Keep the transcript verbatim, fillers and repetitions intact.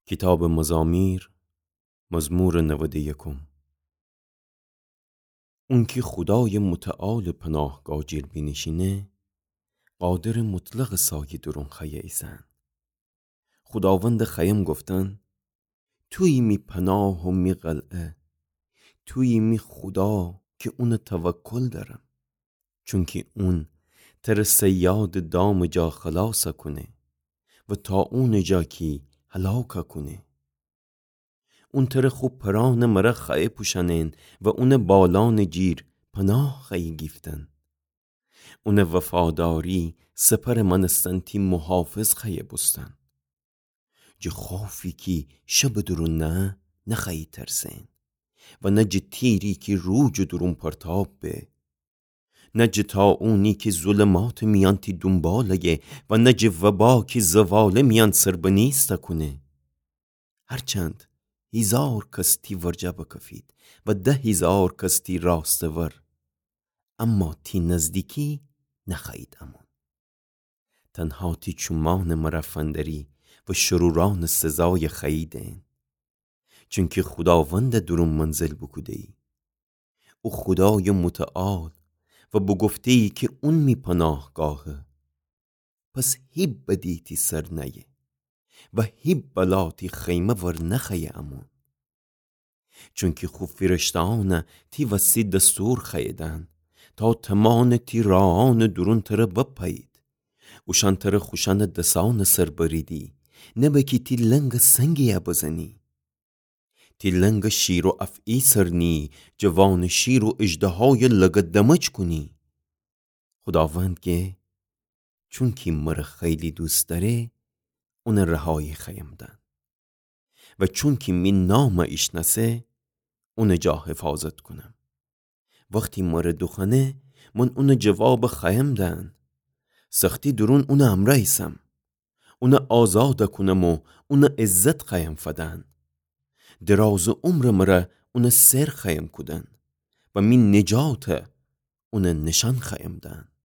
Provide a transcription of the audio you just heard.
کیتابٚ مزامیر، مزمورٚ نودٚ یکم. اونکی خودایٚ متعالٚ پناهگاه جیر بینیشینه، قادرٚ مطلقٚ سایه دورون خوأیه ایسأن. خوداوندٚ خوأیم گفتن: تویی می پناه و می قلعه، تویی می خودا کی اونٚ توکل دأرم. چونکی اون تره صیادٚ دامٚ جا خلاص کونه و طاعونٚ جا کی هلاک کونه. اون تره خو پرأنٚ مره خوأیه پوشأنن و اونٚ بالأنٚ جیر پناه خوأیه گیفتن. اونٚ وفاداری سپرٚ مأنستن تی محافظ خوأیه بوستن. جٚه خوفی کی شبٚ دورون نهه، نخوأیی ترسئن و نه جٚه تیری کی روجٚ دورون پرتاب به، نه جٚه طاعونی کی ظلماتٚ میأن تی دونباله‌یه و نه جٚه وبا کی زوالٚ میأن سربنیست کونه. هرچند هیزار کس تی ورجه بکفید و ده هیزار کس تی راستٚ ور، اما تی نزدیکی نخوأیید امون. تنها تی چومأنٚ مره فندری و شرورأنٚ سزایه خوأییدن. چونکی خوداوند دورون منزل بوکوده‌یی. او خودایٚ متعال و بوگفته‌یی کی اون می پناهگاهه. پس هیب بدی تی سر نأیه و هیب بلا تی خیمه ور نخوأیه امون. چونکی خو فیرشته‌أنه تی وسی دستور خوأییدن، تا تومانٚ تی راهأنٚ دورون تره بپأیید. اوشأن تره خوشأنٚ دسأنٚ سر بریدی، نبه کی تی لنگٚ سنگی‌یه بزنی. تی لنگٚ شیر و افعی سر نییی، جٚه وأنٚ شیر و اژدهایٚ لگدمج کونی. خوداوند گه: چونکی مره خیلی دوست دأره، اونٚ رهایی خوأیم دأن. و چونکی می نامه ایشنأسه، اونٚ جا حفاظت کونم. وختی مره دوخوأنه، من اونٚ جوابه خوأیم دأن. سختی دورون اونٚ امرأ ایسم. اونه آزاد کونم و اونه عزت خوأیم فدن. درازٚ عمرٚ مره اونه سر خوأیم کودن و می نجات اونه نشأن خوأیم دأن.